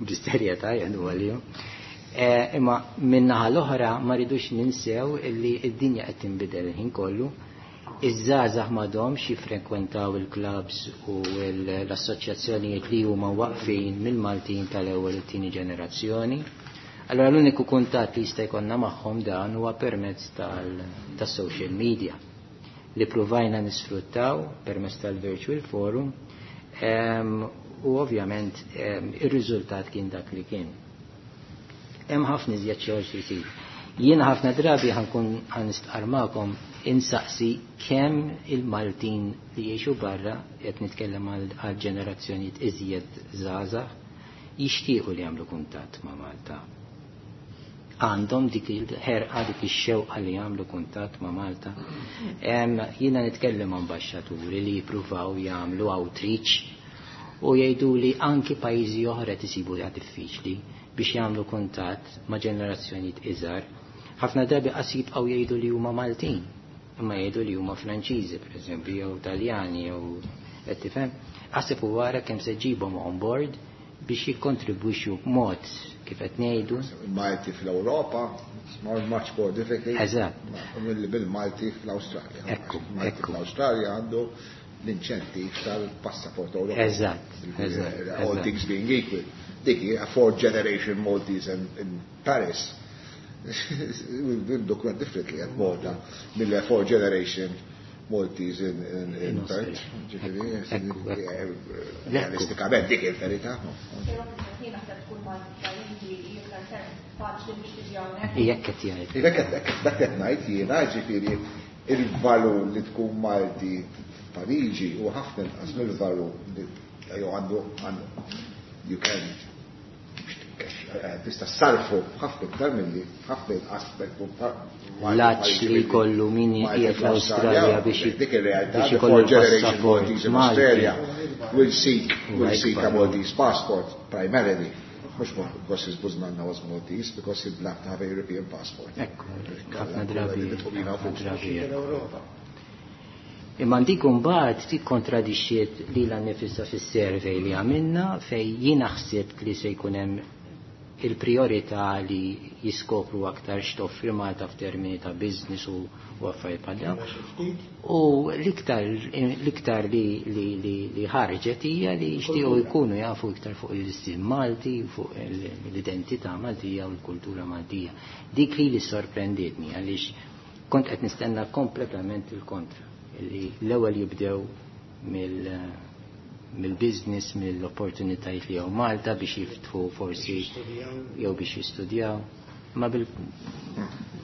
b'serjetà jieħdu għalihom. Imma min-naħa l-oħra ma rridux ninsew illi d-dinja qed tinbidel il-ħin kollu. Iż-żgħażagħ m'għadhomx jiffrekwentaw il-clubs u l-assoċjazzjonijiet li huma waqfin mill-Maltin tal-ewwel u t-tieni ġenerazzjoni. Allora l-uniku kuntatt li jista' jkollna magħhom dan huwa permezz tas-social media li pruvajna nisfruttaw permezz tal-virtual forum, u ovvjament ir-riżultat kien dak li kien. Hemm ħafna iżjed xogħol xi jsir. Jiena ħafna drabi ħankun ħanistqar magħkom insaqsi kemm il-Maltin li jgħixu barra, qed nitkellem għal ġenerazzjonijiet iżjed żgħażagħ, jixtiequ li jagħmlu kuntatt ma' Malta. Għandhom dik il-ħerqa, dik ix-xewqa li jagħmlu kuntatt ma' Malta. Jiena nitkellem ambaxxaturi li jippruvaw jagħmlu outreach u jgħidu li anki pajjiżi oħra tisibu diffiċli biex jagħmlu kuntatt ma' ġenerazzjonijiet iżgħar. Ħafna drabi qas jibqgħu jgħidu li huma Maltin, imma jgħidu li huma Franċiżi, pereżempju, jew Taljani, jew qed tifhem. Aħseb u wara kemm se ġibhom on board biex jikkontribwixxu b'mod kif qed ngħidu. Il-Malti fl-Ewropa, much more difficult. Eżatt. Bil-Malti fl-Awstralja. Ekku, Malti ekku. fl-Awstralja għandu l-inċentiv tal-passaport Ewropew. Eżatt. All things being equal. Dik hija fourth generation Maltese in Paris. Will look quite differently at Malta mill fourth generation Maltese in In Perth. Australia. Ġifieri, Ekku. Realistikament dik il-verità. Però jien naħseb tkun Malti f'pajjiżi iktar ferm faċli biex tiġi hawnhekk. Jekk qed jgħid. Jekk qed dak qed ngħid jiena, ġifieri il-valur li tkun Malti f'Pariġi huwa ħafna inqas mill-valur li jew għandu you can tista' sarfu ħafna iktar milli ħafna inqas Laċ li jkollu min qiegħed l-Awstralja biex dik ir-realtà biex the ikollu fourth generation l-passaport Maltese in Malti. Australia will Huwa seek a ikbar. Maltese passport primarily. Mhux because his buznanna was Maltese, because he'd love to have a European passport. Ekku, ħafna drabi. Ħafna drabi. L-Ewropa. Imma dik mbagħad tikkontradixxiet lilha nnifisha fis-survey li għamilna fejn jiena ħsibt li se jkun hemm il-priorità li jiskopru aktar x'toffri Malta f'termini ta' business u affarijiet bħal dawn. U l-iktar li ħarġet hija li jixtiequ jkunu jafu iktar fuq l-istil Malti, fuq l-identità Maltija u l-kultura Maltija. Dik li sorprendietni għaliex kont qed nistenna kompletament il-kontra, li l-ewwel jibdew mill-business, mill-opportunitajiet li hawn Malta biex jiftħu forsi jew biex jistudjaw. Ma bil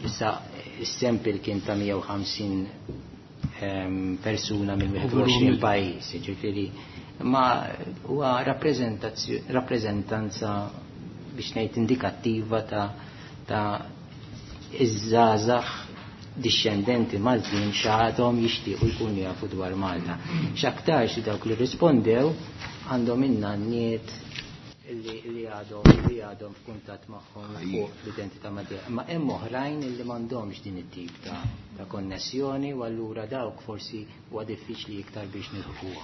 issa is-sample kien ta' 150 persuna minn 21 pajjiż, jiġifieri ma huwa rappreżentanza biex ngħid indikattiva ta' iż-żgħażagħ dixxendenti Maltin x'għadhom jixtiequ jkunu jafu dwar Malta. X'aktarx li dawk li rispondew għandhom in-nanniet li għadhom f'kuntatt magħhom fuq l-identità Maltija. Ma hemm oħrajn li m'għandhomx din it-tip ta' konnessjoni u allura dawk forsi huwa diffiċli iktar biex nilħquhom.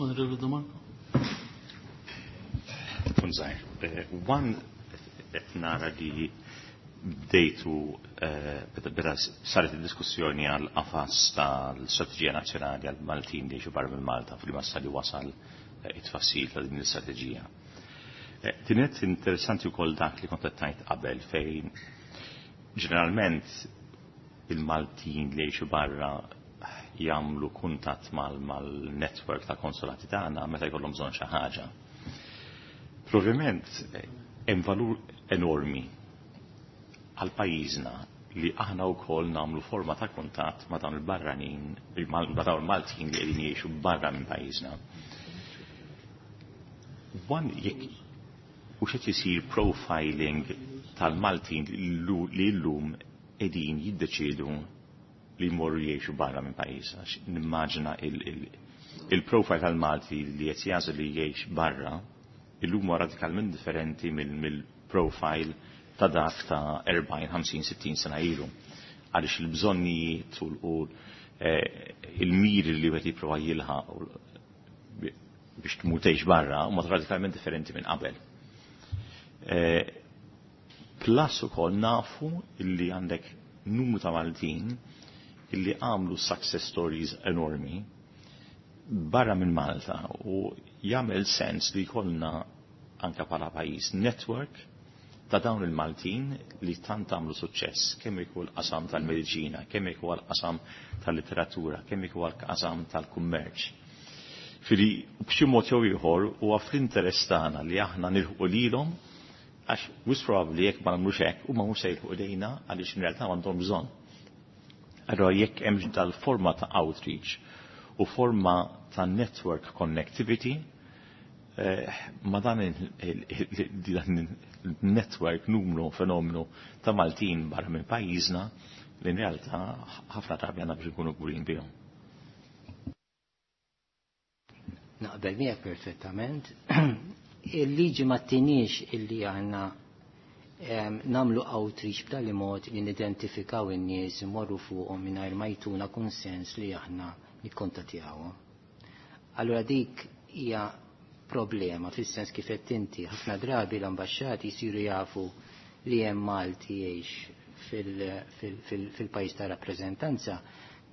Onorevole Domarco. Kun żgħir. One qed nara li bdejtu beda saret id-diskussjoni għal qafas tal-Strateġija Nazzjonali għal Maltin li barra minn Malta fil massa li wasal it-tfassil ta' din l-istrateġija. Kienet interessanti wkoll dak li kont qed tgħid qabel fejn ġeneralment il-Maltin li jgħixu barra jagħmlu kuntatt mal-network ta' konsolati tagħna meta jkollhom bżonn xi ħaġa. Probabilment hemm valur enormi għal pajjiżna li aħna wkoll nagħmlu forma ta' kuntatt ma' dawn il-barranin, ma' dawn il-Maltin li qegħdin jgħixu barra minn pajjiżna. One, jekk u xed isir profiling tal-Maltin li llum qegħdin jiddeċiedu li jmorru jgħixu barra minn pajjiżna. Nimmaġina il-profile tal-Malti li qed jagħżel li jgħix barra illum huwa radikalment differenti mill-profile ta' dak ta' 40, 50, 60 sena ilu. Għaliex il-bżonnijiet u il-miri li wieħed jipprova jilħaq biex tmur tgħix barra huma radikalment differenti minn qabel. Plus ukoll nafu illi għandek numru ta' Maltin illi għamlu success stories enormi barra minn Malta u jagħmel sens li jkollna anka bħala pajjiż network ta' dawn il-Maltin li tant għamlu suċċess, kemm ikun l-qasam tal-mediċina, kemm ikun l-qasam tal-litteratura, kemm ikun l-qasam tal-kummerċ. Fili, b'xi mod jew ieħor huwa fl-interess tagħna li aħna nilħqu lilhom għax wisq probabbli jekk ma nagħmlux hekk huma mhux se jilħqu lejna għaliex in realtà m'għandhom bżonn. Allora jekk hemm dal-forma ta' outreach u forma ta' network connectivity. Ma dan il-network numru fenomenu ta' Maltin barra minn pajjiżna li in realtà ħafna drabi għandna biex nkunu kburin bihom. Naqbel miegħek perfettament. Il-liġi ma tinix illi għandna namlu outreach b'tali mod li nidentifikaw in-nies imorru fuqhom mingħajr ma jtuna konsens li aħna nikkontattjawhom. Allura dik hija problema fis-sens kif qed inti ħafna drabi l-ambaxxati jsiru jafu li hemm Malti jgħix fil-pajjiż ta' rappreżentanza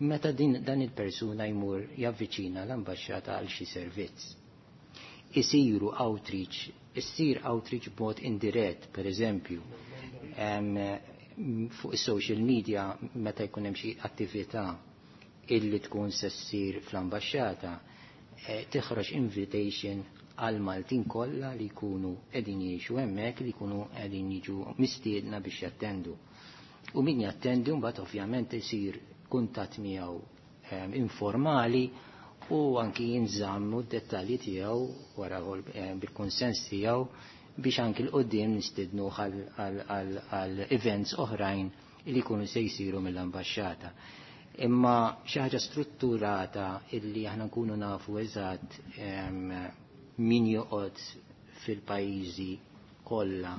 meta dan il-persuna jmur javviċina l-ambaxxata għal xi servizz. Isiru outreach, issir outreach b'mod indirett, per eżempju, fuq is-social media meta jkun hemm xi attività illi tkun se ssir fl-ambaxxata, tiħroġ invitation għal Maltin kollha li jkunu qegħdin jgħixu hemmhekk li jkunu qegħdin jiġu mistiedna biex jattendu. U min jattendi mbagħad ovvjament isir kuntatt miegħu informali u anki jinżammu d-dettalji tiegħu wara bil-konsens tiegħu biex anki l-qoddim nistidnu għal events oħrajn li jkunu se jsiru mill-ambaxxata. Imma xi ħaġa strutturata illi aħna nkunu nafu eżatt min joqgħod fil-pajjiżi kollha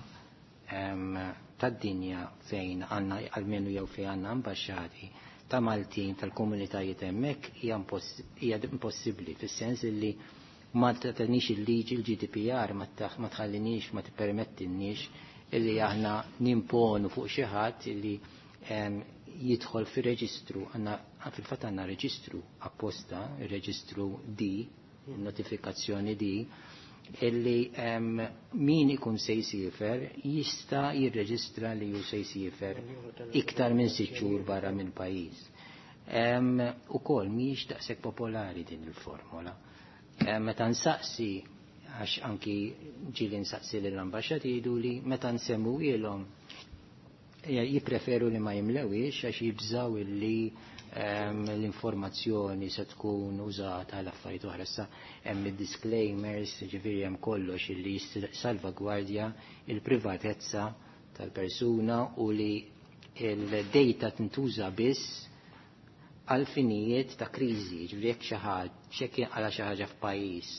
tad-dinja fejn għandna almenu jew fejn għandna ambaxxati ta' Maltin tal-komunitajiet hemmhekk hija impossibbli fis-sens illi ma tagħtinix il-liġi l-GDPR ma tħallinix ma tippermettinniex illi aħna nimponu fuq xi ħadd illi jidħol fir-reġistru. Għandna fil-fatt għandna reġistru apposta, ir-reġistru D, notifikazzjoni D, illi min ikun se jsifer jista' jirreġistra li hu se jsifer iktar minn 6 xhur barra minn pajjiż. Ukoll mhijiex daqshekk popolari din il-formola. Meta nsaqsi, għax anki ġieli nsaqsi lill-ambaxxati jgħidu li meta nsemmu ilhom jippreferu li ma jimlewix għax jibżaw illi l-informazzjoni se tkun użata għal affarijiet oħra. Issa hemm id-disclaimers, ġifieri hemm kollox illi salvagwardja il-privatezza tal-persuna u li il-data tintuża biss għal finijiet ta' kriżi, ġifieri jekk xi ħadd x'hekk għala xi ħaġa f'pajjiż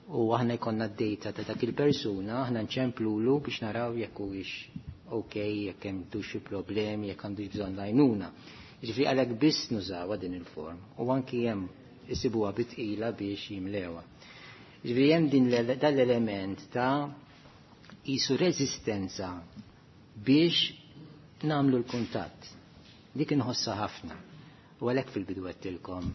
u aħna jkollna d-data ta' dak il-persuna, aħna nċemplulu biex naraw jekk huwiex ok, jekk hemm xi problemi, jekk għandu bżonn l-għajnuna. Ġifieri għalhekk biss nużawha din il-form u anki hemm isibuha bitqila biex jimlewha. Ġifieri hemm din dal-element ta' qisu reżistenza biex nagħmlu l-kuntatt. Dik inħossha ħafna. U għalhekk fil-bidu għedtilkom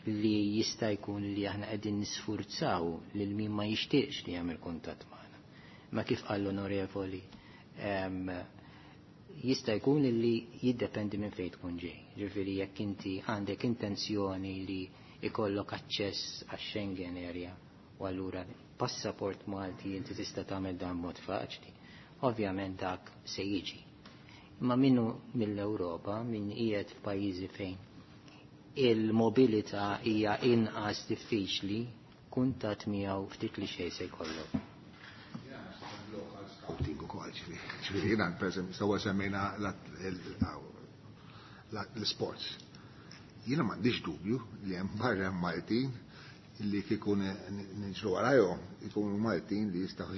li jista' jkun li aħna qegħdin nisfurzaw lil min ma jixtieqx li jagħmel kuntatt magħna. Ma kif qal l-onorevoli, jista' jkun li jiddependi minn fejn tkun ġej. Ġifieri jekk inti għandek intenzjoni li ikollok aċċess għax-Schengen area u allura passaport Malti inti tista' tagħmel dan mod faċli. Ovvjament dak se jiġi. Imma minnu mill-Ewropa, min qiegħed f'pajjiżi fejn il-mobilità hija inqas diffiċli, kuntatt miegħu ftit li xejn se jkollok. Scouting ukoll, ġifieri jiena pereżempju sewwa semmejna l-sports. Jiena m'għandix dubju li hemm barra Maltin li kieku niġru warajhom ikunu Maltin li jistgħu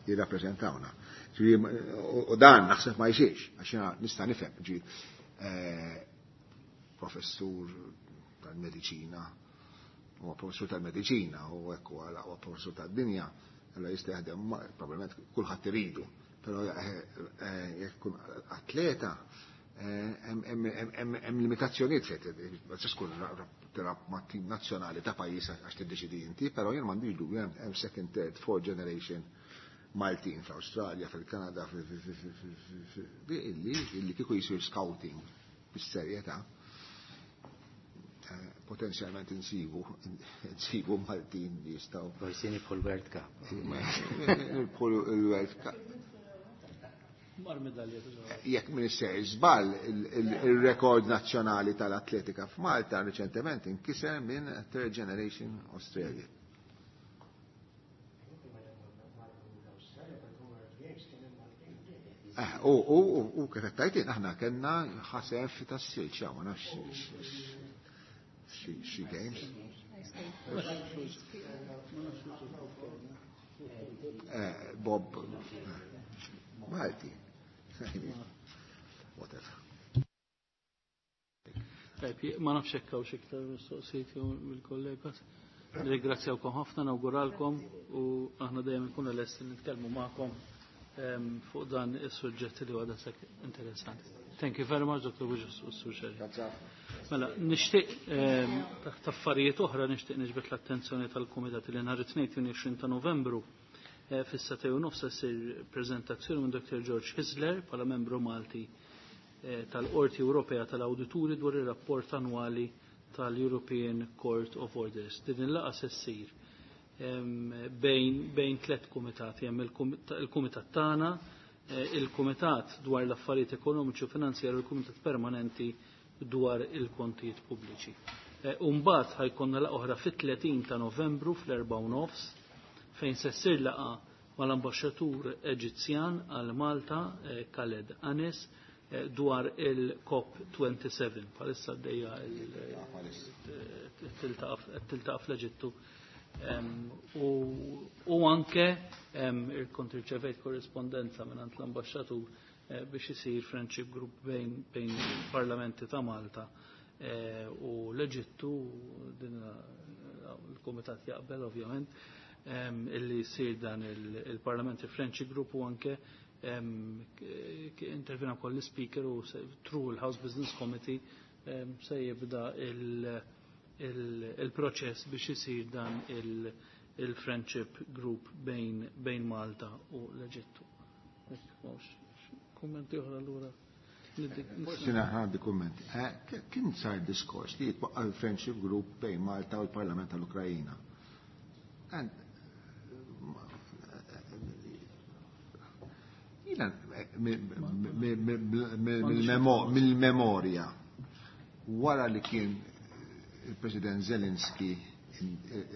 jirrappreżentawna. U dan naħseb ma jsirx, għax jiena nista' nifhem, ġi professur tal-mediċina, huwa professur tal-mediċina u hekk huwa l-aqwa professur tad-dinja, allora jista' jaħdem probabbilment kulħadd iridu, però jekk kun atleta hemm limitazzjonijiet fejn ma tistax tkun tilgħab ma' tim nazzjonali ta' pajjiż għax tiddeċidi inti, però jien m'għandix dubju hemm second, third, fourth generation Maltin fl-Awstralja, fil-Kanada, illi kieku jisir scouting bis-serjetà, potenzjalment insibu Maltin li jistgħu. Forsi nibħu l-World Cup. Nibħu l-World Cup. Mar medalja. Jekk m'iniex sejjer żball, il-rekord nazzjonali tal-atletika f'Malta riċentement inkiser minn Third Generation Australia. U kif qed tgħid aħna kellna ħasef tas-silġ, ma nafx xi games. Bob Malti. Whatever. Tajb, ma nafx hekk hawn xi iktar mistoqsijiet jew mill-kollega. Nirringrazzjawkom ħafna, nawguralkom u aħna dejjem nkunu lesti nitkellmu magħkom fuq dan is-suġġett li huwa daqshekk interessanti. Thank you very much, Dr. Buġus u Sur Scerri. Mela, nixtieq taħt affarijiet oħra nixtieq niġbed l-attenzjoni tal-Kumitat li nhar it-Tnejn 22 ta' Novembru fis-9:30 se ssir preżentazzjoni minn Dr. George Hisler bħala membru Malti tal-Qorti Ewropea tal-Awdituri dwar ir-rapport annwali tal-European Court of Orders. Din il-laqgħa se ssir bejn tliet kumitati, hemm il-kumitat tagħna, il-kumitat dwar l-affarijiet ekonomiċi u finanzjarji u l-kumitat permanenti dwar il-kontijiet pubbliċi. U mbagħad ħajkonna laqgħa oħra fit-30 ta' Novembru fl-4:30 fejn se ssir laqgħa mal-ambaxxatur Eġizzjan għal Malta Khaled Anis dwar il-COP27. Bħalissa għaddejja tiltaqa' fl-Eġittu. U anke kont irċevejt korrispondenza minn l-ambaxxatur biex isir friendship group bejn parlamenti ta' Malta u l-Eġittu, din il-Kumitat jaqbel ovvjament, illi jsir dan il-Parliamentary Friendship Group u anke intervjena wkoll l-Speaker u through il-House Business Committee se jibda il-proċess biex isir dan il-Friendship Group bejn Malta u l-Eġittu. Kummenti oħra allura. Forsi għandi kumment. Kien sar diskors li jitwaqqa l-Friendship Group bejn Malta u l-Parlament tal-Ukrajina. Jiena mill-memorja wara li kien il-President Zelensky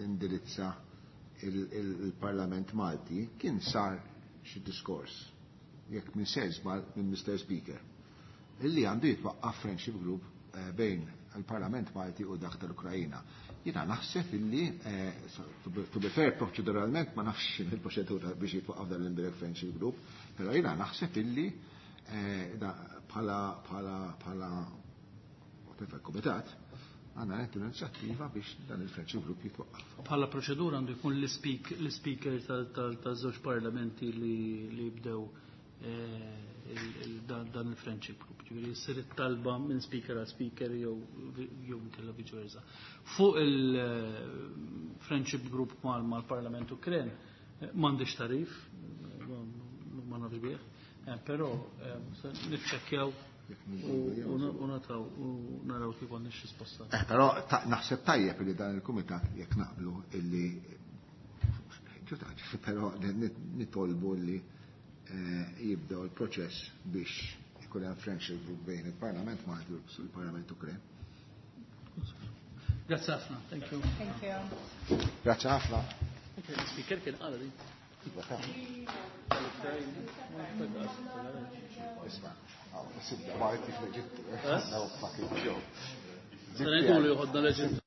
indirizza il-Parlament Malti, kien sar xi diskors, jekk minn sejr żball minn Mr. Speaker, illi għandu jitwaqqaf Friendship Group bejn il-Parlament Malti u dak tal-Ukrajina. Jiena naħseb illi, to be fair, proċeduralment ma nafx il-proċedura biex jitwaqqaf dan l-Indirect Friendship Group, però jiena naħseb illi bħala whatever kumitat għandna nieħdu l-inizjattiva biex dan il-Friendship Group jitwaqqaf. Bħala proċedura għandu jkun l-speaker tal-żewġ parlamenti li jibdew dan il-Friendship Group. Ġifieri jsir it-talba minn speaker għal speaker jew inkella vice versa. Fuq il-Friendship Group mal-Parlament Ukren m'għandix tarif, ma nafx bih, però niċċekkjaw u nataw u naraw kif għandix risposta. Però naħseb tajjeb li dan il-kumitat jekk naqblu illi però nitolbu li jibdew il-proċess biex ikun hemm friendship group bejn il-Parlament Malti u l-Parlament Ukren. Grazzi ħafna, thank you. Thank you. Grazzi ħafna. Speaker kien qala din. Isma', sibda Malti fl-Eġittu. No fucking joke. Se ngħidulu joħodna l-Eġittu.